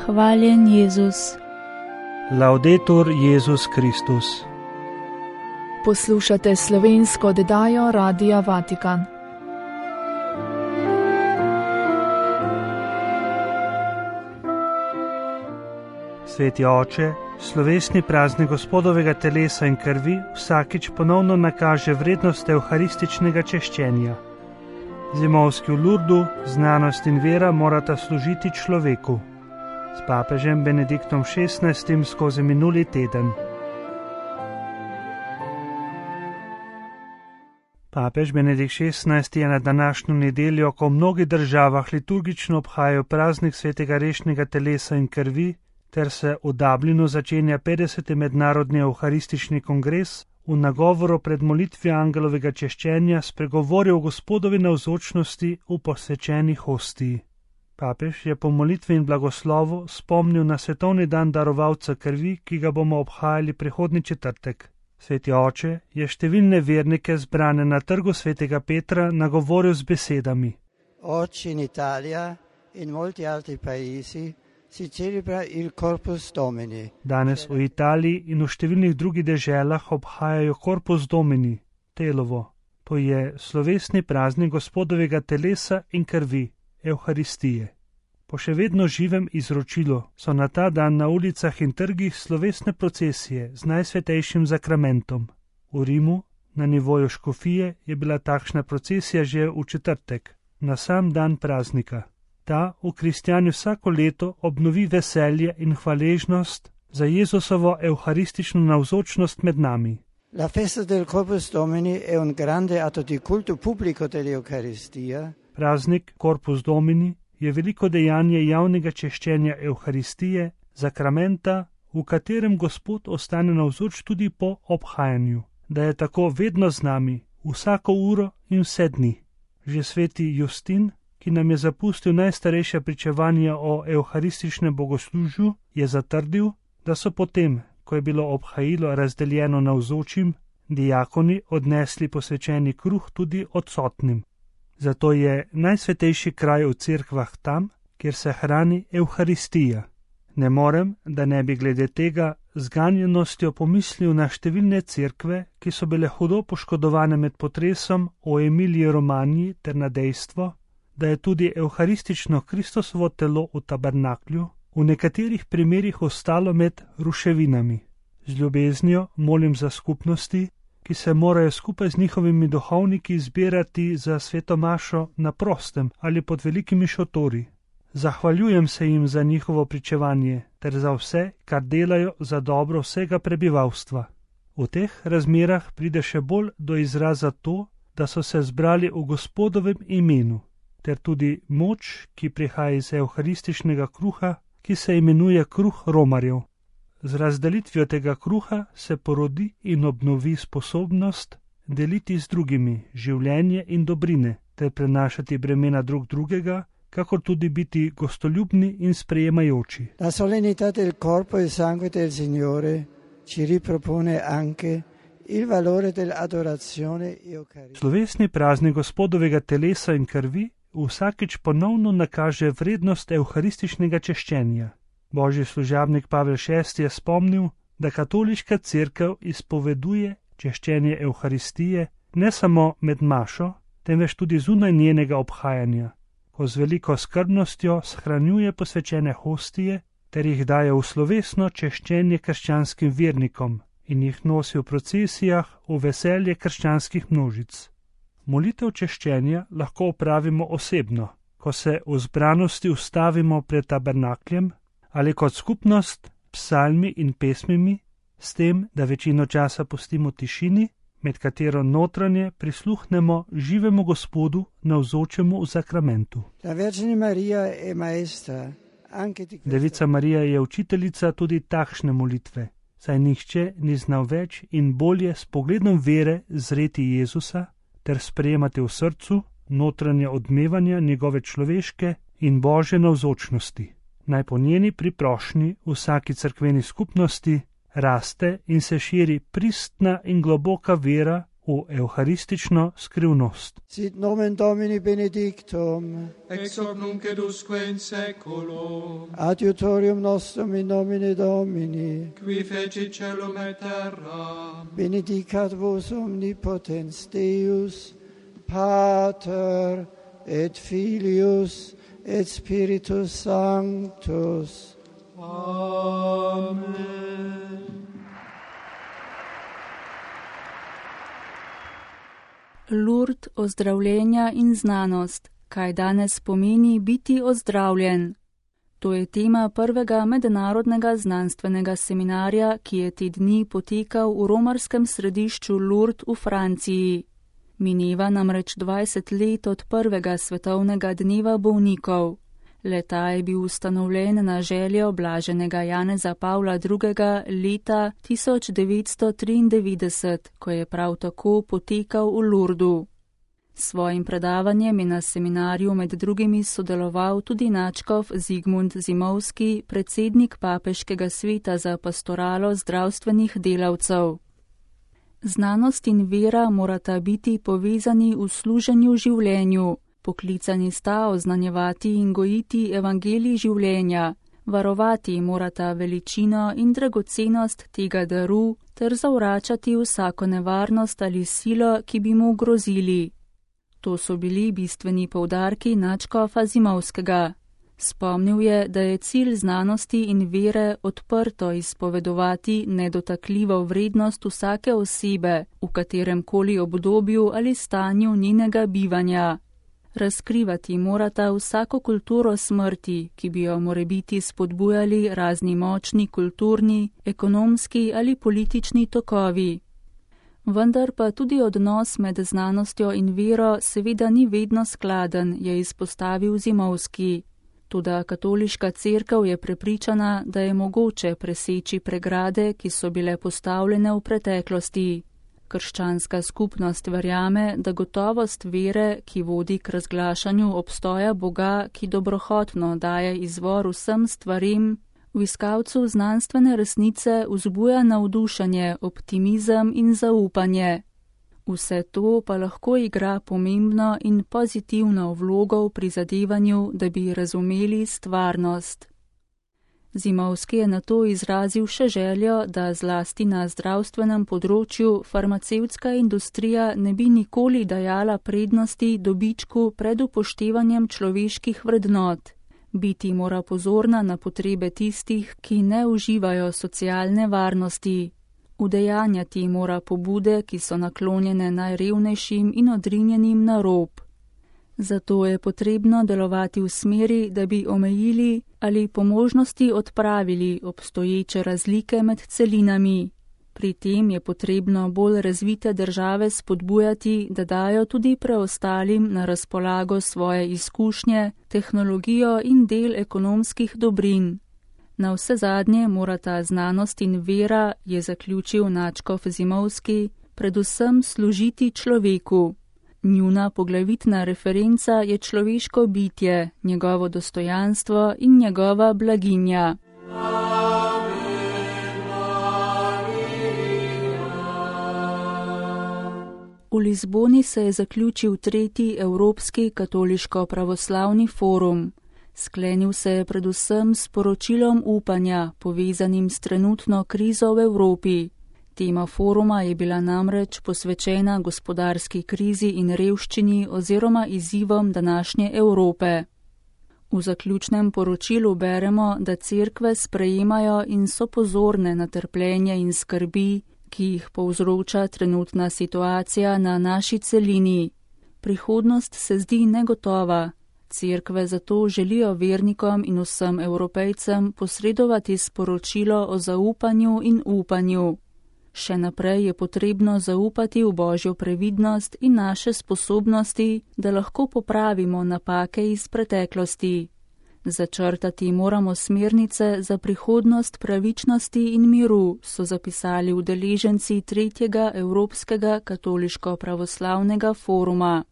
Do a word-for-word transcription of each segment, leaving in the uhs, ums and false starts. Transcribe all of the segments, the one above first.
Hvaljen Jezus. Laudetur Jezus Kristus. Poslušate slovensko oddajo Radia Vatikan. Sveti oče, slovesni praznik Gospodovega telesa in krvi vsakič ponovno nakaže vrednost evharističnega češčenja. Zimovski v Lurdu, znanost in vera morata služiti človeku. S papežem Benediktom šestnajstim skozi minuli teden. Papež Benedikt šestnajsti je na današnjo nedeljo, ko v mnogih državah liturgično obhajajo praznik svetega rešnega telesa in krvi, ter se v Dublinu začenja petdeseti mednarodni evharistični kongres, v nagovoru pred molitvijo angelovega češčenja spregovoril o Gospodovi navzočnosti v posvečeni hostiji. Papež je po molitvi in blagoslovu spomnil na svetovni dan darovalca krvi, ki ga bomo obhajali prihodnji četrtek. Sveti oče je številne vernike zbrane na trgu svetega Petra nagovoril z besedami: Oggi in Italia in molti altri paesi si celebra il Corpus Domini. Danes v Italiji in v številnih drugih deželah obhajajo Corpus Domini, telovo. To je slovesni praznik Gospodovega telesa in krvi, Evharistije. Po še vedno živem izročilu so na ta dan na ulicah in trgih slovesne procesije z najsvetejšim zakramentom. V Rimu, na nivoju škofije, je bila takšna procesija že v četrtek, na sam dan praznika. Ta v kristjani vsako leto obnovi veselje in hvaležnost za Jezusovo evharistično navzočnost med nami. La festa del Corpus Domini è un grande atto di culto pubblico dell'Eucaristia. Praznik Corpus Domini je veliko dejanje javnega češčenja Evharistije, zakramenta, v katerem Gospod ostane navzoč tudi po obhajanju, da je tako vedno z nami, vsako uro in vse dni. Že sveti Justin, ki nam je zapustil najstarejša pričevanja o evharističnem bogoslužju, je zatrdil, da so potem, ko je bilo obhajilo razdeljeno navzočim, diakoni odnesli posvečeni kruh tudi odsotnim. Zato je najsvetejši kraj v cerkvah tam, kjer se hrani Evharistija. Ne morem, da ne bi glede tega z ganjenostjo pomislil na številne cerkve, ki so bile hudo poškodovane med potresom o Emiliji Romanji ter na dejstvo, da je tudi evharistično Kristosovo telo v tabernaklju v nekaterih primerih ostalo med ruševinami. Z ljubeznijo molim za skupnosti, ki se morajo skupaj z njihovimi duhovniki zbirati za sveto mašo na prostem ali pod velikimi šotori. Zahvaljujem se jim za njihovo pričevanje ter za vse, kar delajo za dobro vsega prebivalstva. V teh razmerah pride še bolj do izraza to, da so se zbrali v Gospodovem imenu, ter tudi moč, ki prihaja iz evharističnega kruha, ki se imenuje kruh romarjev. Z razdelitvijo tega kruha se porodi in obnovi sposobnost deliti z drugimi življenje in dobrine, ter prenašati bremena drug drugega, kakor tudi biti gostoljubni in sprejemajoči. La solennità del corpo e sangue del Signore ci ripropone anche il valore dell'adorazione eucaristica. Slovesni praznik Gospodovega telesa in krvi vsakič ponovno nakaže vrednost evharističnega češčenja. Božji služabnik Pavel šesti je spomnil, da katoliška cerkev izpoveduje češčenje Evharistije ne samo med mašo, temveč tudi zunaj njenega obhajanja, ko z veliko skrbnostjo shranjuje posvečene hostije ter jih daje v slovesno češčenje krščanskim vernikom in jih nosi v procesijah v veselje krščanskih množic. Molitev češčenja lahko opravimo osebno, ko se v zbranosti ustavimo pred tabernakljem, ali kot skupnost, psalmi in pesmimi, s tem, da večino časa pustimo tišini, med katero notranje prisluhnemo živemu Gospodu navzočemu v zakramentu. Devica Marija je učiteljica tudi takšne molitve, saj nihče ni znal več in bolje s pogledom vere zreti Jezusa ter sprejemati v srcu notranje odmevanja njegove človeške in Božje navzočnosti. Naj po njeni priprošnji vsaki cerkveni skupnosti raste in se širi pristna in globoka vera v evharistično skrivnost. Sit nomen Domini benedictum, ex hoc nunc et usque in saeculum, adiutorium nostrum in nomine Domini, qui fecit caelum et terram, benedicat vos omnipotens Deus, Pater et Filius et Spiritus Sanctus. Amen. Lurd ozdravljenja in znanost. Kaj danes pomeni biti ozdravljen? To je tema prvega mednarodnega znanstvenega seminarja, ki je te dni potekal v romarskem središču Lourdes v Franciji. Mineva namreč dvajset let od prvega svetovnega dneva bolnikov. Le-ta je bil ustanovljen na željo blaženega Janeza Pavla drugega. leta tisoč devetsto triindevetdeset, ko je prav tako potekal v Lourdu. S svojim predavanjem je na seminarju med drugimi sodeloval tudi nadškof Zigmund Zimovski, predsednik Papeškega sveta za pastoralo zdravstvenih delavcev. Znanost in vera morata biti povezani v služenju življenju. Poklicani sta oznanjevati in gojiti evangelij življenja, varovati morata veličino in dragocenost tega daru ter zavračati vsako nevarnost ali silo, ki bi mu grozili. To so bili bistveni poudarki nadškofa Zimovskega. Spomnil je, da je cilj znanosti in vere odprto izpovedovati nedotakljivo vrednost vsake osebe, v katerem koli obdobju ali stanju njenega bivanja. Razkrivati morata vsako kulturo smrti, ki bi jo morebiti spodbujali razni močni kulturni, ekonomski ali politični tokovi. Vendar pa tudi odnos med znanostjo in vero seveda ni vedno skladen, je izpostavil Zimovski. Toda katoliška cerkev je prepričana, da je mogoče preseči pregrade, ki so bile postavljene v preteklosti. Krščanska skupnost verjame, da gotovost vere, ki vodi k razglašanju obstoja Boga, ki dobrohotno daje izvor vsem stvarim, v iskalcu znanstvene resnice vzbuja navdušenje, optimizem in zaupanje. Vse to pa lahko igra pomembno in pozitivno vlogo v prizadevanju, da bi razumeli stvarnost. Zimovski je nato izrazil še željo, da zlasti na zdravstvenem področju farmacevtska industrija ne bi nikoli dajala prednosti dobičku pred upoštevanjem človeških vrednot. Biti mora pozorna na potrebe tistih, ki ne uživajo socialne varnosti. Udejanjati mora pobude, ki so naklonjene najrevnejšim in odrinjenim na rob. Zato je potrebno delovati v smeri, da bi omejili ali po možnosti odpravili obstoječe razlike med celinami. Pri tem je potrebno bolj razvite države spodbujati, da dajo tudi preostalim na razpolago svoje izkušnje, tehnologijo in del ekonomskih dobrin. Na vse zadnje morata znanost in vera, je zaključil nadškof Zimovski, predvsem služiti človeku. Njuna poglavitna referenca je človeško bitje, njegovo dostojanstvo in njegova blaginja. V Lizboni se je zaključil tretji Evropski katoliško-pravoslavni forum. Sklenil se je predvsem s poročilom upanja, povezanim s trenutno krizo v Evropi. Tema foruma je bila namreč posvečena gospodarski krizi in revščini oziroma izzivom današnje Evrope. V zaključnem poročilu beremo, da cerkve sprejemajo in so pozorne na trpljenje in skrbi, ki jih povzroča trenutna situacija na naši celini. Prihodnost se zdi negotova. Cerkve zato želijo vernikom in vsem Evropejcem posredovati sporočilo o zaupanju in upanju. Še naprej je potrebno zaupati v Božjo previdnost in naše sposobnosti, da lahko popravimo napake iz preteklosti. Začrtati moramo smernice za prihodnost pravičnosti in miru, so zapisali udeleženci tretjega Evropskega katoliško-pravoslavnega foruma.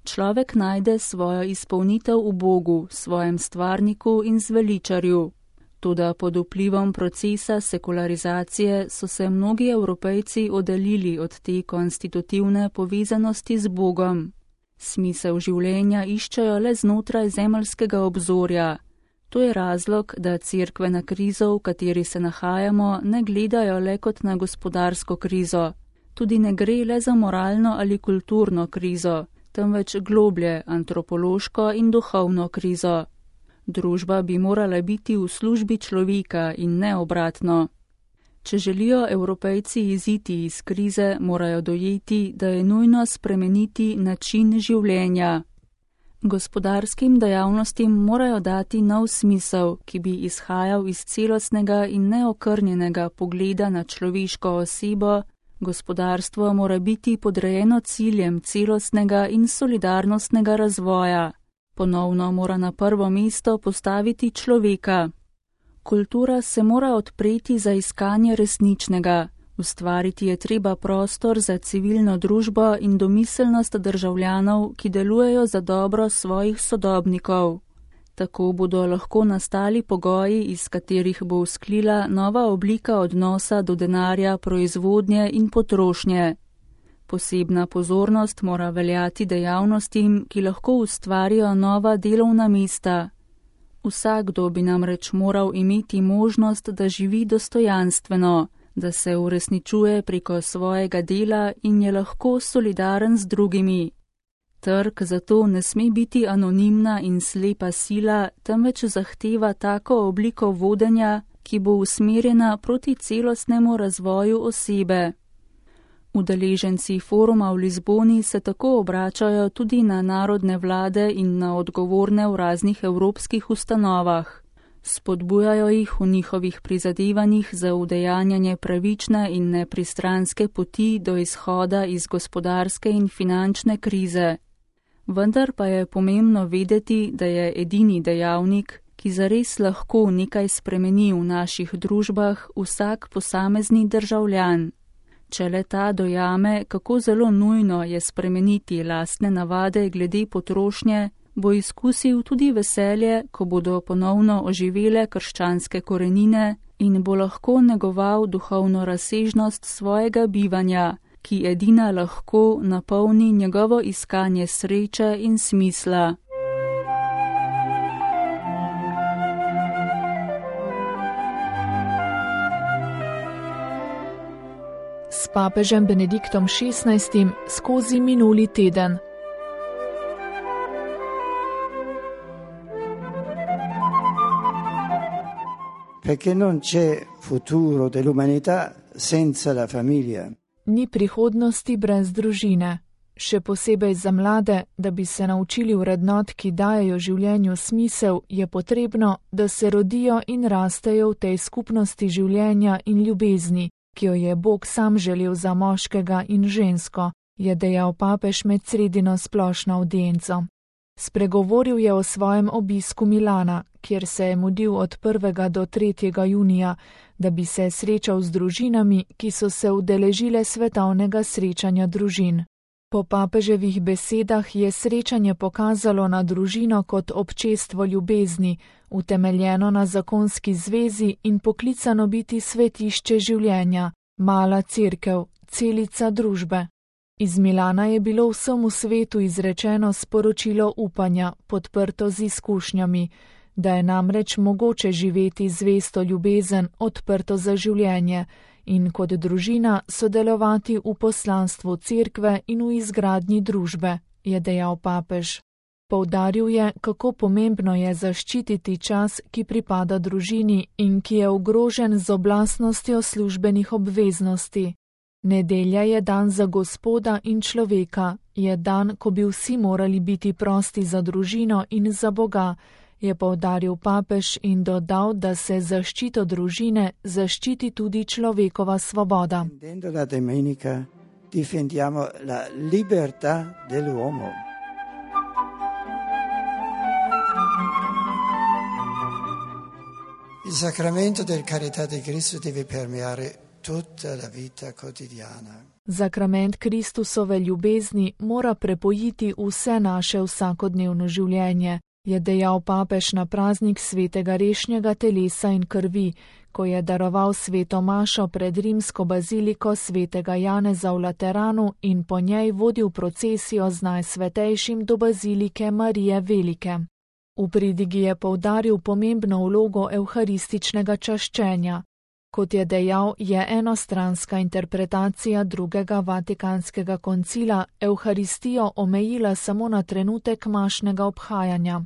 človek najde svojo izpolnitev v Bogu, svojem stvarniku in zveličarju. Toda pod vplivom procesa sekularizacije so se mnogi Evropejci oddaljili od te konstitutivne povezanosti z Bogom. Smisel življenja iščejo le znotraj zemeljskega obzorja. To je razlog, da cerkve na krizo, v kateri se nahajamo, ne gledajo le kot na gospodarsko krizo. Tudi ne gre le za moralno ali kulturno krizo, temveč globlje antropološko in duhovno krizo. Družba bi morala biti v službi človeka in ne obratno. Če želijo Evropejci iziti iz krize, morajo dojeti, da je nujno spremeniti način življenja. Gospodarskim dejavnostim morajo dati nov smisel, ki bi izhajal iz celostnega in neokrnjenega pogleda na človeško osebo. Gospodarstvo mora biti podrejeno ciljem celostnega in solidarnostnega razvoja. Ponovno mora na prvo mesto postaviti človeka. Kultura se mora odpreti za iskanje resničnega. Ustvariti je treba prostor za civilno družbo in domiselnost državljanov, ki delujejo za dobro svojih sodobnikov. Tako bodo lahko nastali pogoji, iz katerih bo vzklila nova oblika odnosa do denarja, proizvodnje in potrošnje. Posebna pozornost mora veljati dejavnostim, ki lahko ustvarijo nova delovna mesta. Vsakdo bi namreč moral imeti možnost, da živi dostojanstveno, da se uresničuje preko svojega dela in je lahko solidaren z drugimi. Trg zato ne sme biti anonimna in slepa sila, temveč zahteva tako obliko vodenja, ki bo usmerjena proti celostnemu razvoju osebe. Udeleženci foruma v Lizboni se tako obračajo tudi na narodne vlade in na odgovorne v raznih evropskih ustanovah. Spodbujajo jih v njihovih prizadevanjih za udejanjanje pravične in nepristranske poti do izhoda iz gospodarske in finančne krize. Vendar pa je pomembno vedeti, da je edini dejavnik, ki zares lahko nekaj spremeni v naših družbah, vsak posamezni državljan. Če le ta dojame, kako zelo nujno je spremeniti lastne navade glede potrošnje, bo izkusil tudi veselje, ko bodo ponovno oživele krščanske korenine in bo lahko negoval duhovno razsežnost svojega bivanja, ki edina lahko napolni njegovo iskanje sreče in smisla. S papežem Benediktom šestnajstim skozi minuli teden. Perché non c'è futuro dell'umanità senza la famiglia. Ni prihodnosti brez družine. Še posebej za mlade, da bi se naučili vrednot, ki dajejo življenju smisel, je potrebno, da se rodijo in rastejo v tej skupnosti življenja in ljubezni, ki jo je Bog sam želel za moškega in žensko, je dejal papež med sredino splošno avdienco. Spregovoril je o svojem obisku Milana, kjer se je mudil od prvega do tretjega junija, da bi se srečal z družinami, ki so se udeležile svetovnega srečanja družin. Po papeževih besedah je srečanje pokazalo na družino kot občestvo ljubezni, utemeljeno na zakonski zvezi in poklicano biti svetišče življenja, mala cerkev, celica družbe. Iz Milana je bilo vsemu svetu izrečeno sporočilo upanja, podprto z izkušnjami, da je namreč mogoče živeti zvesto ljubezen, odprto za življenje in kot družina sodelovati v poslanstvu cerkve in v izgradnji družbe, je dejal papež. Poudaril je, kako pomembno je zaščititi čas, ki pripada družini in ki je ogrožen z oblastnostjo službenih obveznosti. Nedelja je dan za Gospoda in človeka, je dan, ko bi vsi morali biti prosti za družino in za Boga, je poudaril papež in dodal, da se zaščito družine zaščiti tudi človekova svoboda. La domenica difendiamo la libertà dell'uomo. Il sacramento del carità di Cristo deve permeare tutta la vita quotidiana. Zakrament Kristusove ljubezni mora prepojiti vse naše vsakodnevno življenje, je dejal papež na praznik svetega rešnjega telesa in krvi, ko je daroval sveto mašo pred rimsko baziliko svetega Janeza v Lateranu in po njej vodil procesijo z najsvetejšim do bazilike Marije Velike. V pridigi je poudaril pomembno vlogo evharističnega čaščenja. Kot je dejal, je enostranska interpretacija drugega vatikanskega koncila evharistijo omejila samo na trenutek mašnega obhajanja.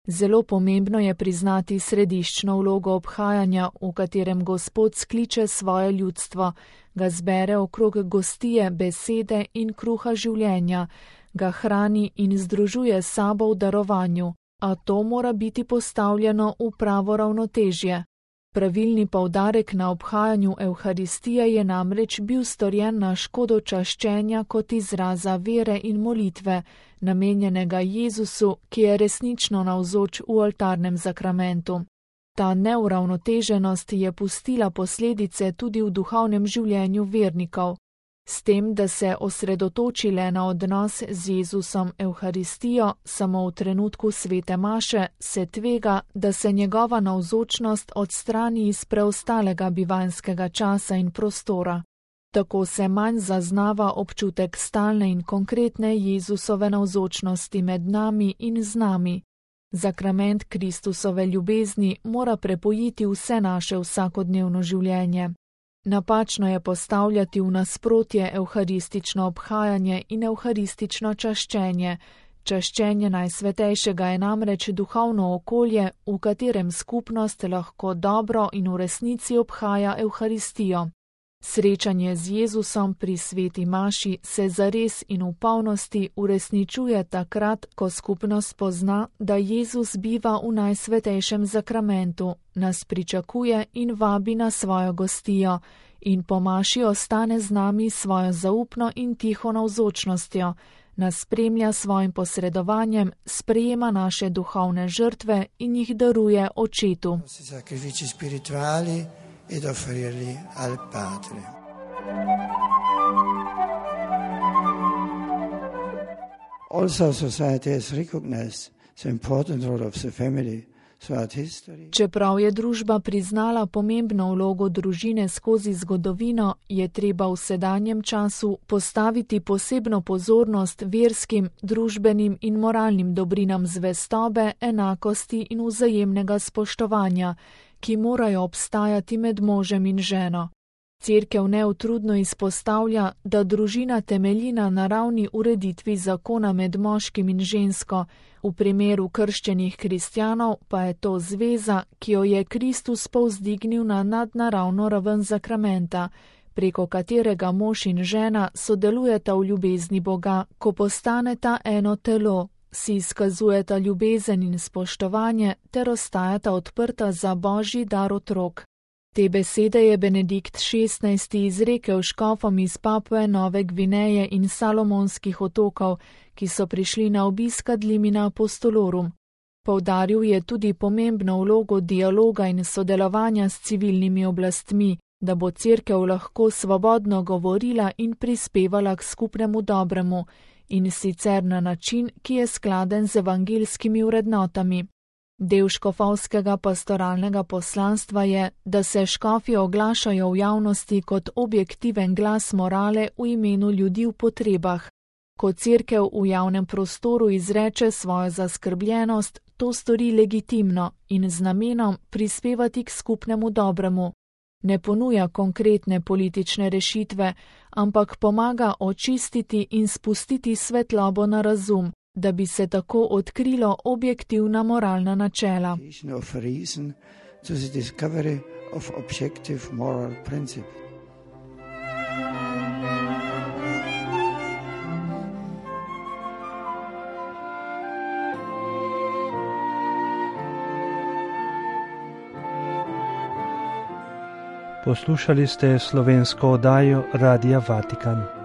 Zelo pomembno je priznati središčno vlogo obhajanja, v katerem Gospod skliče svoje ljudstvo, ga zbere okrog gostije, besede in kruha življenja, ga hrani in združuje s sabo v darovanju, a to mora biti postavljeno v pravo ravnotežje. Pravilni poudarek na obhajanju evharistije je namreč bil storjen na škodo čaščenja kot izraza vere in molitve, namenjenega Jezusu, ki je resnično navzoč v oltarnem zakramentu. Ta neuravnoteženost je pustila posledice tudi v duhovnem življenju vernikov. S tem, da se osredotočile na odnos z Jezusom evharistijo samo v trenutku svete maše, se tvega, da se njegova navzočnost odstrani iz preostalega bivanjskega časa in prostora. Tako se manj zaznava občutek stalne in konkretne Jezusove navzočnosti med nami in z nami. Zakrament Kristusove ljubezni mora prepojiti vse naše vsakodnevno življenje. Napačno je postavljati v nasprotje evharistično obhajanje in evharistično čaščenje. Čaščenje najsvetejšega je namreč duhovno okolje, v katerem skupnost lahko dobro in v resnici obhaja evharistijo. Srečanje z Jezusom pri sveti maši se zares in v polnosti uresničuje takrat, ko skupnost pozna, da Jezus biva v najsvetejšem zakramentu, nas pričakuje in vabi na svojo gostijo in po maši ostane z nami svojo zaupno in tiho navzočnostjo, nas spremlja svojim posredovanjem, sprejema naše duhovne žrtve in jih daruje Očetu. Ed offrirli al Padre. Also society has recognized the important role of the family throughout history. Čeprav je družba priznala pomembno vlogo družine skozi zgodovino, je treba v sedanjem času postaviti posebno pozornost verskim, družbenim in moralnim dobrinam zvestobe, enakosti in vzajemnega spoštovanja, ki morajo obstajati med možem in ženo. Cerkev neutrudno izpostavlja, da družina temelji na naravni ureditvi zakona med moškim in žensko, v primeru krščenih kristjanov pa je to zveza, ki jo je Kristus povzdignil na nadnaravno raven zakramenta, preko katerega mož in žena sodelujeta v ljubezni Boga, ko postaneta eno telo, si izkazujeta ljubezen in spoštovanje ter ostajata odprta za Božji dar otrok. Te besede je Benedikt šestnajsti izrekel škofom iz Papue Nove Gvineje in Salomonskih otokov, ki so prišli na obisk ad limina apostolorum. Poudaril je tudi pomembno vlogo dialoga in sodelovanja s civilnimi oblastmi, da bo cerkev lahko svobodno govorila in prispevala k skupnemu dobremu, in sicer na način, ki je skladen z evangeljskimi vrednotami. Del škofovskega pastoralnega poslanstva je, da se škofi oglašajo v javnosti kot objektiven glas morale v imenu ljudi v potrebah. Ko cerkev v javnem prostoru izreče svojo zaskrbljenost, to stori legitimno in z namenom prispevati k skupnemu dobremu. Ne ponuja konkretne politične rešitve, ampak pomaga očistiti in spustiti svetlobo na razum, da bi se tako odkrilo objektivna moralna načela. Poslušali ste slovensko oddajo Radia Vatikan.